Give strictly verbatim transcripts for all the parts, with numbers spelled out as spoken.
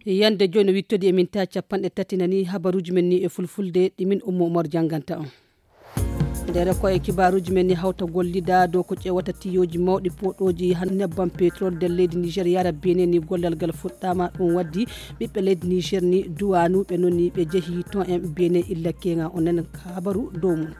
Yande jooni no wittodi e minta capanɗe tati nani habaruuji men ni e fulfulde ɗi min Ummu Umar jannganta on. Ndere ko e kibaaruuji men ni hawta gollida dow ko ƴeewata tiyooji mawɗi poɗooji han nebbam petrol nder leydi Niger yara Benin ni gollal ngal fuɗɗaama. Ɗum waddi ɓiɓɓe leydi Niger ni duwanuɓe noon ni ɓe jehi ton en Benin illa keŋa o nana habaru dow mum.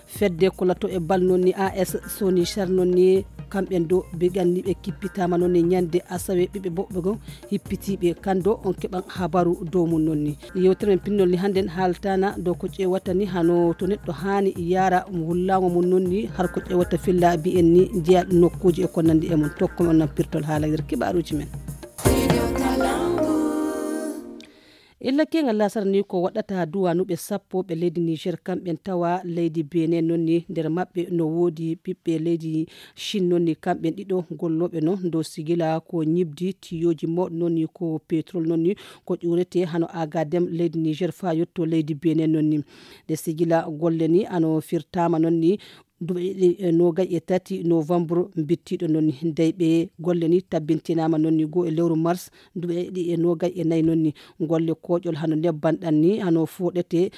Fedde ko lato e bal noon ni A S Soni Char noon ni kamɓe do ɓe ganni ɓe kippitaama noon ni ñande asawe ɓiɓɓe boɓɓe goo hippitiiɓe kando on keɓan habaru dow mum noon ni. Yewtere men pinnol ni hannden haaltaana dow ko ƴeewata ni hano to neɗɗo haani yaara wullaango mum noon ni har ko ƴeewata filla mbiyen ni jeya nokkuuji e ko nanndi e mum tokko men on nan pirtol haala nder kibaaruuji men. Illa keŋal lasara ni ko waɗata duwanuɓe sappo ɓe leydi Niger kamɓen tawa leydi Benin noon ni nder maɓɓe no woodi ɓiɓɓe leydi Chine noon ni kamɓen ɗiɗo gollooɓe no dow sigila ko ñibdi tiyooji mawɗi noon ni ko petrol noon ni ko ƴuurete hano agadem leydi Niger fa yetto leydi Benin noon ni. Ɗe sigila golle ni ano firtaama noon ni duuɓi ɗiɗi e noogay e tati novembre mbittiiɗo noon ni dey ɓe golle ni tabbintinaama noon ni goo e lewru mars duuɓi ɗiɗi e noogay e nayi noon ni. Golle kooƴol hano nebban ɗan ni hano fuɗete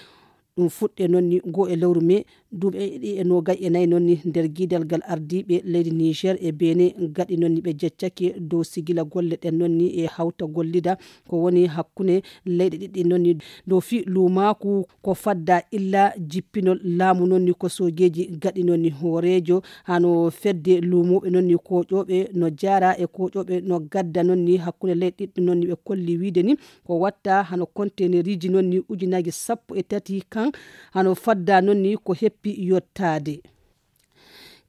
ɗum fuɗɗe noon ni goo e lewru mai duuɓi ɗiɗi e noogay e nayi noon ni nder giidal ngal ardiiɓe leydi Niger e Benin gaɗi noon ni ɓe jeccake dow sigila golle ɗen noon ni e hawta gollida ko woni hakkunde leyɗe ɗiɗi noon ni dow fii luumaaku ko fadda illa jippinol laamu noon ni ko soojeeji gaɗi noon ni hooreejo hano fedde luumooɓe noon ni kooƴooɓe no jaara e kooƴooɓe no gadda noon ni hakkunde leyɗe ɗiɗi noon ni ɓe kolli wiide ni ko watta hano konteneeriji noon ni ujunaaji sappo e tati kan hano fadda noon ni ko heppi yottaade.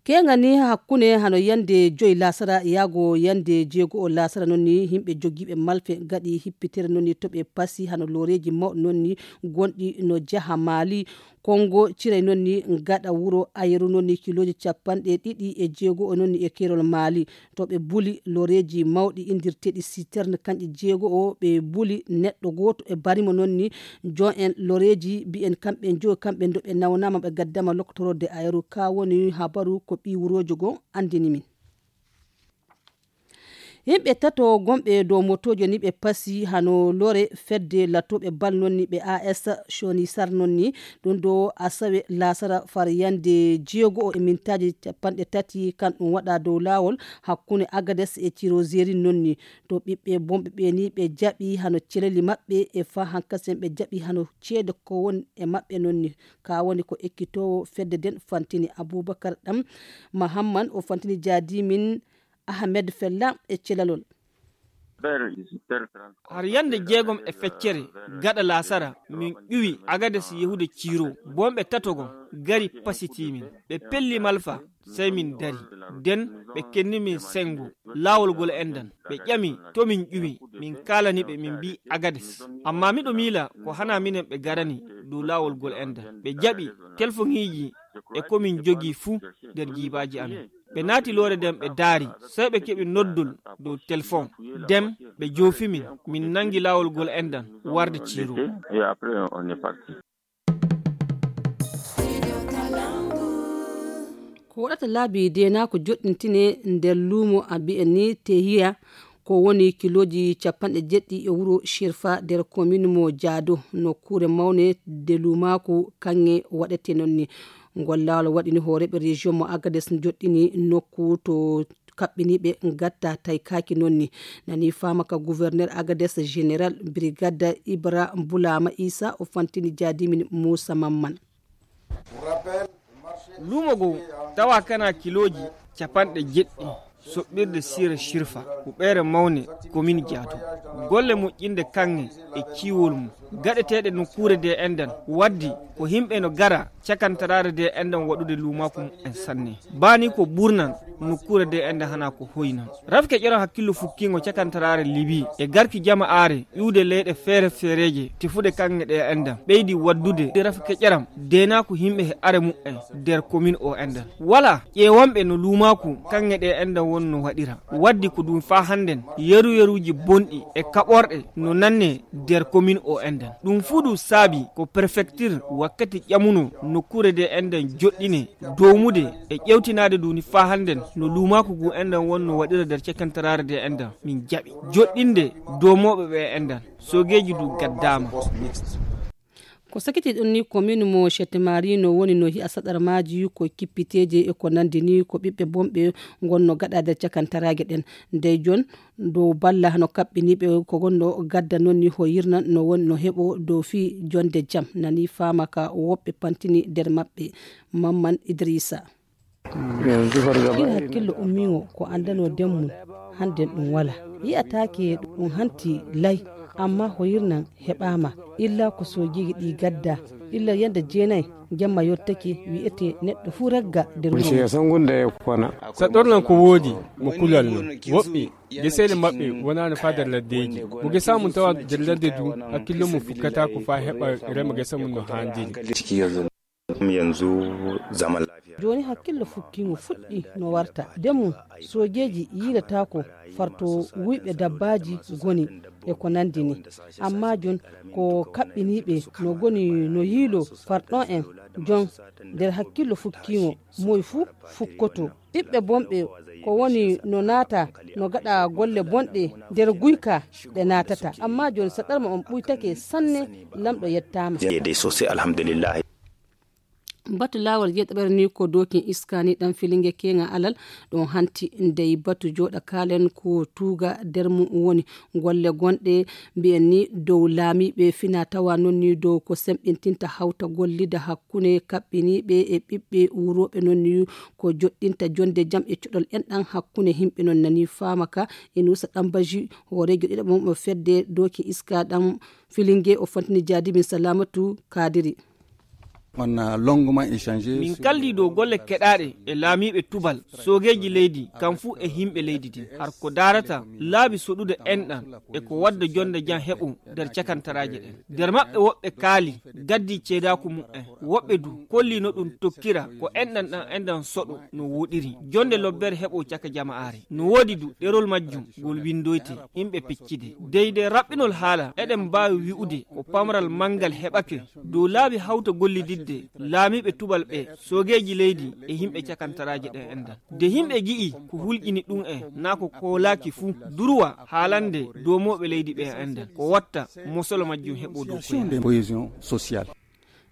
Keŋa ni hakkunde hano yande joyi lasara yaago yande jeego o lasara noon ni yimɓe jogiiɓe malfe gaɗi hippitere noon ni to ɓe pasi hano looreeji mawɗi noon ni gonɗi no jaha Maali. Kongo ciray noon ni gaɗa wuro Ayeru noon ni kilooji capanɗe ɗiɗi e jeego o noon ni e keerol Maali. To ɓe buli loreeji mawɗi inndirteeɗi citerne kanƴe jeego o ɓe buli neɗɗo gooto e barimo noon ni jon en loreeji mbiyen kamɓe njoyo kamɓe ndo ɓe nawnaama ɓe gaddama loktorode Ayeru ka woni habaru ko ɓii wuroojo goo anndini min. Yimɓe tato gonɓe dow motoojo ni ɓe pasi hano lore fedde latooɓe bal noon ni ɓe A S Soni Sar noon ni ɗum ɗo asawe lasara far yande jeego o e mintaaji capanɗe tati kan ɗum waɗa dow laawol hakkunde Agades e Tirozeri noon ni to ɓiɓɓe bonɓe ɓe ni ɓe jaɓi hano celeli maɓɓe e fa hankasen ɓe jaɓi hano ceede ko woni e maɓɓe noon ni ka woni ko ekkitoowo fedde nden fantini Abubakar ɗam Mahamman o fantini jaadimin Ahmed Fella e celalol. Har yande jeegom e feccere gaɗa laasara min ƴuwi Agades yehude Ciiro bonɓe tato gon gari pasitimin ɓe pelli malfa sey min dari den ɓe kenni min sengo laawol gol endan ɓe ƴami to min ƴuwi min kaalani ɓe min mbi Agades amma miɗo miila ko hana minen ɓe garani dow laawol gol endan ɓe jaɓi telfoŋiiji e ko min jogii fuu nder jiibaaji amin. Ɓe naati loore nden ɓe daari sey ɓe keɓi noddol dow telefon nden ɓe joofi min min nanngi laawol gol endan warde Ciiro. Ko waɗata laabi deenaako joɗɗintine nder luumo a mbiyen ni tehiya ko woni kilooji capanɗe jeɗɗi e wuro Shirfa nder komin mo Jaado nokkuure mawne de luumaaku kaŋŋe waɗete noon ni. Ngol laawol waɗini hooreeɓe région mo Agades joɗɗini nokku to kaɓɓiniiɓe gatta taykaaki noon ni. Nani faama ka gouverneur Agades général brigade Ibra Bulama Isa o fantini jaadimin Muusa Mamman. Luumo goo tawa kana kilooji capanɗe jeɗɗi soɓɓirde siira Shirfa huɓeere mawne komin Jaato golle moƴƴinde kaŋŋe e ciwol mum gaɗeteeɗe nokkuure de endan waddi ko yimɓe no gara cakantaraare de endan waɗude luumaaku mumen sanne baa ni ko ɓurnan nokkuure de endan hana ko hoynan rafke ƴeron hakkillo fukkiingo cakantaraare Libi e garki jama'aare ƴuwde leyɗe feere feereeje tefude kaŋŋe ɗe endan ɓeydi waddude rafke ƴeram deenaaku yimɓe he are mumen nder komin o endan wala ƴeewonɓe no luumaaku kaŋŋe ɗe endan wonno waɗira waddi ko ɗum faa hannden yeru yeruuji bonɗi e kaɓorɗe no nanne nder komin o endan. Ɗum fuu ɗum saabi ko prefecture wakkati ƴamuno nokkuure de enɗan joɗɗine domude e ƴewtinaade duni faa hannden no luumaaku ngu enɗan wonno waɗira nder cakantaraare de enɗan min jaɓi joɗɗinde domooɓe ɓe enɗan. Sogeeji du gaddaama. Ko sakiti ɗon ni commune mo Chette Marie no woni no hi'a saɗarmaaji ko kippiteeje e ko nandi ni ko ɓiɓɓe bonɓe ngonno gaɗa nder cakantaraage ɗen. Ndey jon dow balla no kaɓɓiniiɓe ko gonno gadda non ni ho yirnan no woni no heɓo dow fii jonde jam nani faama ka woɓɓe pantini nder maɓɓe. Mamman Idrissa. Ina hakkillo ummiŋo ko anndano demmum hannden ɗum wala yi'ataake ɗum hanti lay. Amma hoyirnan heɓaama illa ko soojiiji ɗi gadda illa yande jeenay jemma yottake wi'ete neɗɗo fuu ragga nder wuro. Saɗornan ko woodi mo kulal non woɓɓe geseele maɓɓe wonaano faa nder laddeeji mo gesaa mum tawa nder ladde du hakkillo mum fukkataako faa heɓa rema gesa mum no haandiri. Jooni hakkillo fukkiingo fuɗɗi no warta de mum soojeeji yiilataako farto wuyɓe dabbaaji goni e ko nanndi ni. Amma jon ko kaɓɓiniiɓe no goni no yiilo farɗon en jon nder hakkillo fukkiingo moy fuu fukkoto ɓiɓɓe bonɓe ko woni no naata no gaɗa golle bonɗe nder guyka ɗe naatata. Amma jon saɗarma on ɓuytake sanne. Lamɗo yettaama. Batu laawol jeeɗaɓere ni ko dokin iska ni ɗan filinge keŋa alal ɗon hanti ndey batu jooɗa kaalen ko tuuga nder mum woni golle gonɗe mbiyen ni dow laamiiɓe fina tawa non ni dow ko semɓintinta hawta gollida hakkunde kaɓɓiniiɓe e ɓiɓɓe wuurooɓe non ni ko joɗɗinta jonde jam e cuɗol enɗan hakkunde himɓe non nani faama ka e nuusa ɗan baji hooreejo ɗiɗaɓo mo fedde dokin iska ɗan filinge o fantini jaadimin salamatu kaadiri. Min kaldi dow golle keɗaaɗe e laamiiɓe tubal soogeeji leydi kam fuu e himɓe leydi din har ko daarata laabi soɗude enɗan e ko wadda jonde jam heɓo nder cakantaraaje ɗen. Nder maɓɓe woɓɓe kaali gaddi ceedaaku mu'en woɓɓe du kolli no ɗum tokkira ko enɗan ɗan enɗan soɗo no woɗiri jonde lobbere heɓo caka jama'aare no woodi du ɗerol majjum ngol windoyte. Yimɓe peccide dey de raɓɓinol haala eɗen mbaawi wi'ude ko pamral manngal heɓake dow laabi hawta gollididde laamiiɓe tubal ɓe soogeeji leydi e yimɓe cakantaraaje ɗen enɗan de yimɓe gi'i ko hulƴini ɗum en naa ko koolaaki fuu durwa haalande doomooɓe leydi ɓe enɗan ko watta mosolo majjum heɓo dow koyɗe.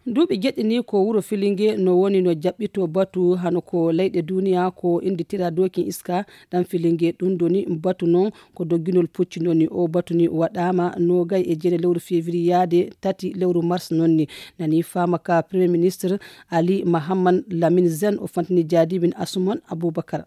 Duuɓi jeɗɗi ni ko wuro filinge no woni no jaɓɓito batu hano ko leyɗe duniya ko innditira dokin iska ɗan filinge ɗum doni batu non ko dogginol pucci noni o batu ni waɗaama nogay e jeere lewru févriyaade tati lewru mars nonni nani faama ka premier ministre ali mahamman lamin zen o fantini jaadibin asuman abubakar.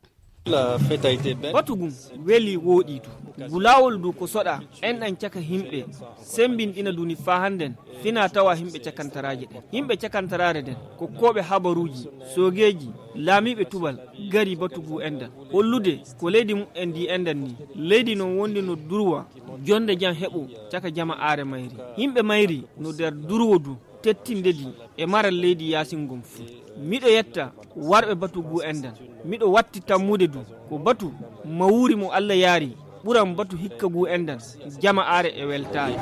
Batu gum weli wooɗi du ngu laawol du ko soɗa enɗan caka himɓe sembinɗina duni faa hannden fina tawa himɓe cakantaraaje ɗen yimɓe cakantaraare nden kokkooɓe habaruuji soogeeji laamiiɓe tubal gari batu ngu enɗan hollude ko leydi mumen ndi enɗan ni leydi non wondi no durwa jonde jam heɓo caka jama aare mayri yimɓe mayri no nder durwo du tettinde ndi e maral leydi yaasin ngon fuu. Miɗo yetta warɓe batu ngu enɗan miɗo watti tammude du ko batu mawuri mo allah yaari ɓuran batu hikka ngu enɗan jama aare e weltaare.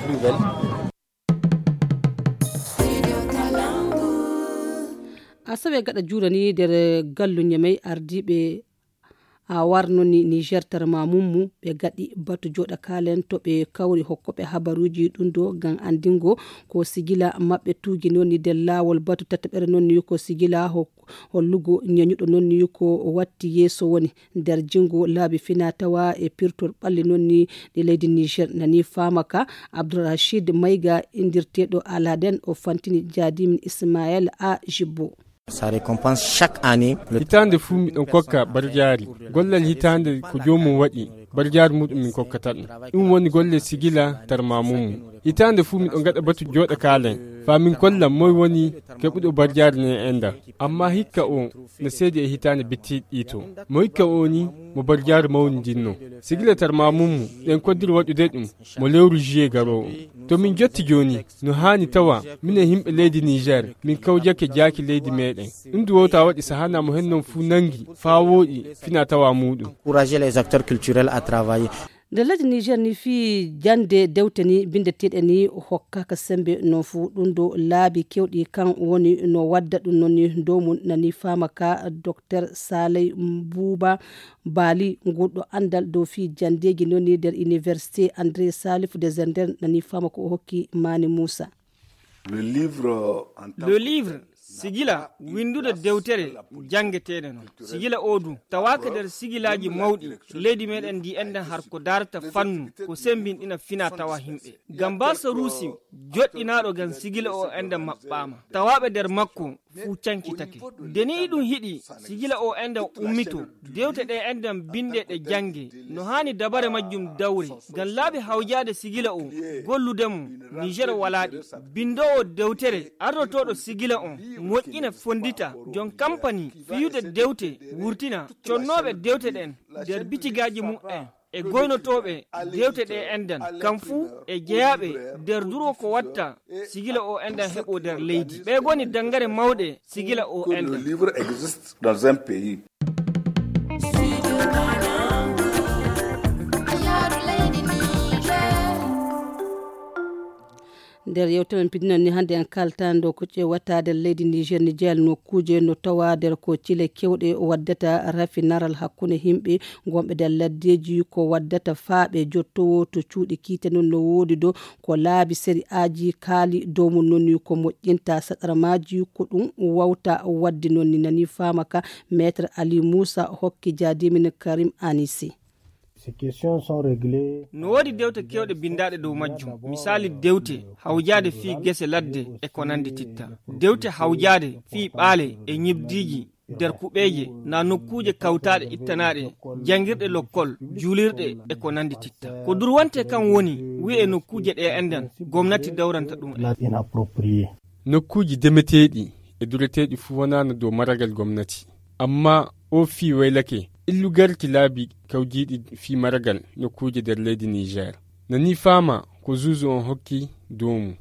Asawe gaɗa juurani nder gallu ñamey ardiiɓe a warnoni niger tarma mummu ɓe gaɗi batu joɗa kalen to ɓe kawri hokkoɓe habaruji ɗum do ngam andingo ko sigila maɓɓe tuginoni nder lawol batu tataɓere nonni ko sigila hollugo ñañuɗo nonni ko watti yeeso woni nder jingo laabi fina tawa e pirtol ɓalli nonni ɗi leydi niger nani famaka abdourachid mayga indirteɗo aladen o fantini jadimin ismael a jibbo. Hitaande fuu miɗon kokka barjaari gollal hitaande ko joomum waɗi barjaari muɗum min kokkata ɗum. Ɗum woni golle sigila tarmamummu. Hitaande fuu miɗon gaɗa batu jooɗa kaalen faa min kollan moy woni keɓuɗo barjaari nden enɗan. Amma hikka o no seedi e hitaande bittiiɗi ɗii to. Mo hikka o ni mo barjaari mawnidinno. Sigila tarmamummu ɗen koddiri waɗude ɗum mo lewru juillet garoowo. To min jotti jooni no haani tawa minen yimɓe leydi niger min kawjake jaaki leydi meɗen. Ɗum du wowta waɗi sahana mo hennon fuu nangi faa wooɗi fina tawa muuɗum. Encourager les acteurs culturels à travailler. Nder leydi Niger ni, fii jannde dewte ni binndeteeɗe ni hokkaaka semmbe noon fuu. Ɗum ɗo laabi keewɗi kan woni no wadda ɗum noon ni dow mum, nani faama ka Docteur Saley Mbuuba Baali, ngurɗo anndal dow fii janndeeji noon ni nder Université André Salif de Zender, nani faama ko o hokki Mani Muusa. Le livre, sigila winndude dewtere janngeteende noon. Sigila o du tawaaka nder sigilaaji mawɗi leydi meɗen ndi enɗen har ko darata fannu ko semmbinɗina fina tawa himɓe. Gamba Sarusi, joɗɗinaaɗo ngam sigila o enɗen maɓɓaama. Tawaaɓe nder makko fuu cankitake. Nde ni iɗum hiɗi sigila o enɗen ummito, dewte ɗe enɗen binnde ɗe jannge, no haani dabare majjum dawre. Ngam laabi hawjaade sigila o, gollude mo, Niger walaa ɗi. Binndoowo dewtere, ardotooɗo sigila on, moƴƴina fonndita, jon kampani, fiyude dewte, wurtina, connooɓe dewte ɗen, nder bitigaaji mum en, e goynotooɓe dewte ɗe enɗen, kam fuu e jeyaaɓe nder durwo ko watta sigila o enɗen heɓo nder leydi. Ɓe goni danngare mawɗe sigila o enɗen. Nder yewtere men pidinan ni hannde en kalta ndo ko ƴeewata nder leydi Niger, Niger nokkuuje no tawa nder ko cile kewɗe waddata rafinaral hakkunde himɓe gonɓe nder laddeji, ko waddata faaɓe jottowo to cuuɗi kiite noon no woodi ɗo ko laabi seri aji kaali dow mum noon ni ko moƴƴinta saɗarmaaji ko ɗum wawta wadde noon ni nani faama ka Maître Ali Moussa hokki jaadimin Karim Anisi. No woodi dewte kewɗe binndaaɗe dow majjum. Misaali dewte hawjaade fii gese ladde e ko nanndi titta. Dewte hawjaade fii ɓaale e ñibdiiji nder kuɓeeje na nokkuuje kawtaaɗe ittanaaɗe janngirɗe lokkol, juulirɗe e ko nanndi titta. Ko durwante kan woni wi'e nokkuuje ɗe enɗen gomnati dawranta ɗum en. Nokkuuji demeteeɗi e dureteeɗi fuu wonaano dow maragal gomnati. Ammaa oo fii waylake illu garki laabi kawjiiɗi fii maragal nokkuuje nder leydi Niger. Nani faama ko zuuzu on hokki doomu.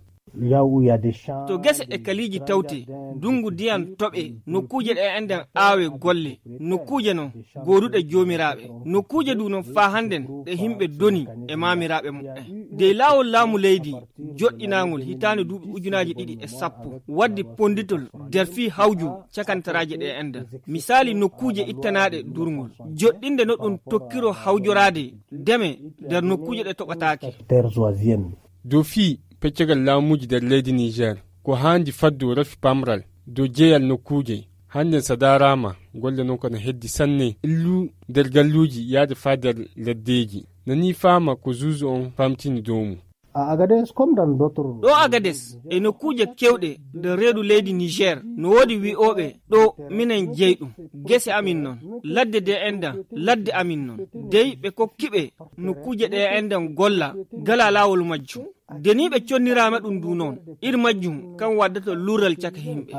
To gese e kaliiji tawte, dungu diyan toɓe, nokkuuje ɗe enɗen aawe golle, nokkuuje non gooduɗe joomiraaɓe, nokkuuje du non faa hannden ɗe himɓe doni e maamiraaɓe muɓɓen. Dey laawol laamu leydi joɗɗinaangol hitaande duuɓi ujunaaji ɗiɗi e sappo waddi ponnditol nder fii hawju cakantaraaje ɗe enɗen. Misaali nokkuuje ittanaaɗe durngol, joɗɗinde no ɗum tokkiro hawjoraade deme nder nokkuuje ɗe toɓataake. Dow fii peccagal laamuuji nder leydi Niger, ko haandi faddu rafi pamral dow jeyal nokkuuje. Hannden so daaraama, golle non ko na heddi sanne, illu nder galluuji yaade faa nder laddeeji. Nani faama ko zuuzu on faamtini dow mum. Ɗo Agades e nokkuuje kewɗe nder reedu leydi Niger, no woodi wi'ooɓe ɗo minen jeyi ɗum. Gese amin non, ladde de enɗen, ladde amin non. Dey ɓe kokki ɓe nokkuuje ɗe enɗen golla gala laawol majjum. Nde ni ɓe conniraama ɗum ndu noon, iri majjum kan waddata luural caka himɓe.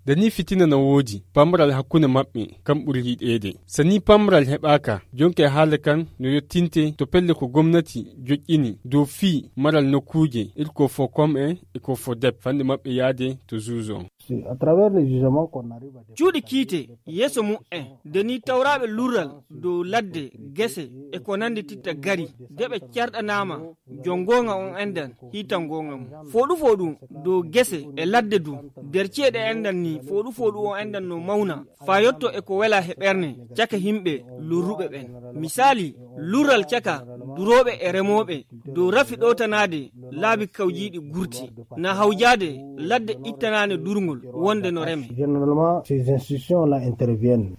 Nde ni fitina na woodi, pamral hakkunde maɓɓe kan ɓuri yiɗeede. So ni pamral heɓaaka, jonke haala kan no yottinte to pelle ko gomnati joƴƴini dow fii maral nokkuuje, iri ko fo kom en e ko fo dep, fanɗe maɓɓe yaade to zuuzo on. Cuuɗi kiite yeeso mum en, nde ni tawraaɓe lurral dow ladde, gese e ko nanndi titta gari, de ɓe carɗanaama jon goonga on enɗan hiitan goonga mum. Fooɗu fooɗu dow gese e ladde du, nder ceeɗe enɗan ni fooɗu fooɗu on enɗan no mawna, faa yotto e ko wela he ɓerne caka himɓe lurruɓe ɓen. Misaali, lurral caka durooɓe e remooɓe dow rafi ɗowtanaade laabi kawjiiɗi gurti, na hawjaade ladde ittanaande durngol wonde no reme. Généralement, ces institutions-là interviennent.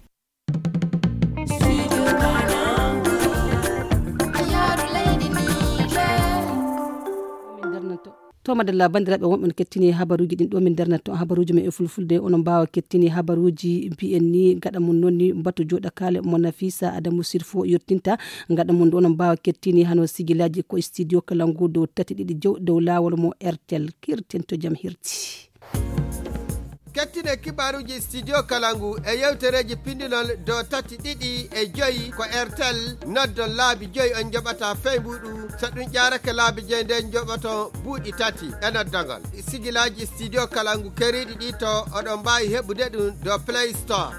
To madalla, banndiraaɓe wonɓe no kettini habaruuji ɗin ɗo min darnata on habaruuji men e fulfulde. Onon mbaawa kettini habaruuji mbiyen ni gaɗa mum noon ni batu jooɗakaale mo Nafisa Adamu Sirfo yottinta. Gaɗa mum ɗo onon mbaawa kettini hano sigilaaji ko e studio kala ngu dow tati ɗiɗi jow dow laawol mo R T L. Kirten to jam hirti. Kettine kibaaruuji studio kala ngu e yewtereeji pindinol dow tati ɗiɗi e joyi ko R T L. Noddon laabi joyi on njoɓata fey mbuɗu. So ɗum ƴaarake laabi joyi nden njoɓoton buuɗi tati e noddagol. Sigilaaji studio kala ngu keriiɗi ɗi to oɗon mbaawi heɓude ɗum dow Play Store.